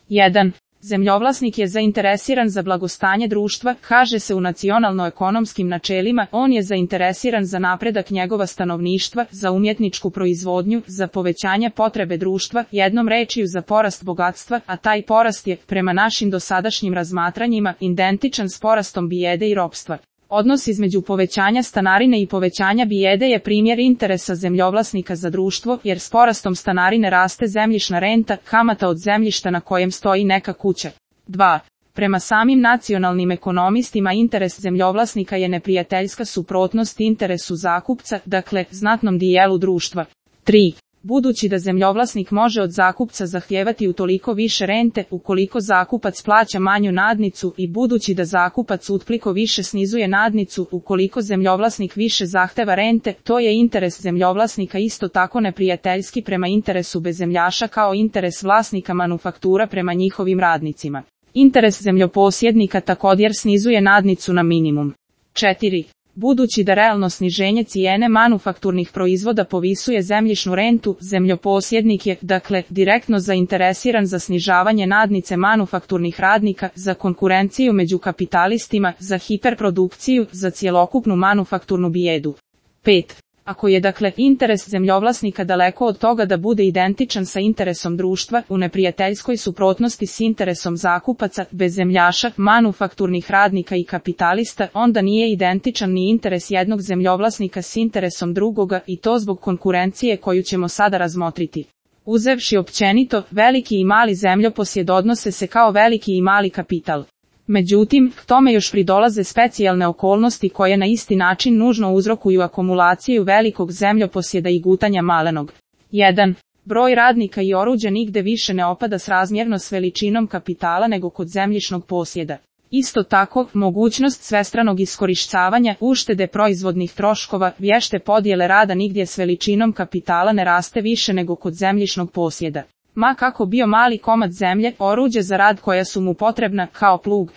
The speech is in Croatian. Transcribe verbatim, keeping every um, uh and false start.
jedan. Zemljovlasnik je zainteresiran za blagostanje društva, kaže se u nacionalno-ekonomskim načelima, on je zainteresiran za napredak njegova stanovništva, za umjetničku proizvodnju, za povećanje potrebe društva, jednom rečju za porast bogatstva, a taj porast je, prema našim dosadašnjim razmatranjima, identičan s porastom bijede i ropstva. Odnos između povećanja stanarine i povećanja bijede je primjer interesa zemljovlasnika za društvo, jer s porastom stanarine raste zemljišna renta, kamata od zemljišta na kojem stoji neka kuća. dva. Prema samim nacionalnim ekonomistima interes zemljovlasnika je neprijateljska suprotnost interesu zakupca, dakle, znatnom dijelu društva. tri. Budući da zemljovlasnik može od zakupca zahtijevati utoliko više rente, ukoliko zakupac plaća manju nadnicu i budući da zakupac utpliko više snizuje nadnicu, ukoliko zemljovlasnik više zahteva rente, to je interes zemljovlasnika isto tako neprijateljski prema interesu bezzemljaša kao interes vlasnika manufaktura prema njihovim radnicima. Interes zemljoposjednika također snizuje nadnicu na minimum. četiri. Budući da realno sniženje cijene manufakturnih proizvoda povisuje zemljišnu rentu, zemljoposjednik je, dakle, direktno zainteresiran za snižavanje nadnice manufakturnih radnika, za konkurenciju među kapitalistima, za hiperprodukciju, za cjelokupnu manufakturnu bijedu. pet. Ako je dakle interes zemljovlasnika daleko od toga da bude identičan sa interesom društva, u neprijateljskoj suprotnosti s interesom zakupaca, bezzemljaša, manufakturnih radnika i kapitalista, onda nije identičan ni interes jednog zemljovlasnika s interesom drugoga i to zbog konkurencije koju ćemo sada razmotriti. Uzevši općenito, veliki i mali zemljoposjed odnose se kao veliki i mali kapital. Međutim, k tome još pridolaze specijalne okolnosti koje na isti način nužno uzrokuju akumulaciju velikog zemljoposjeda i gutanja malenog. jedan. Broj radnika i oruđa nigde više ne opada srazmjerno s veličinom kapitala nego kod zemljišnog posjeda. Isto tako, mogućnost svestranog iskorištavanja, uštede proizvodnih troškova, vješte podjele rada nigdje s veličinom kapitala ne raste više nego kod zemljišnog posjeda. Ma kako bio mali komad zemlje, oruđe za rad koja su mu potrebna, kao plug,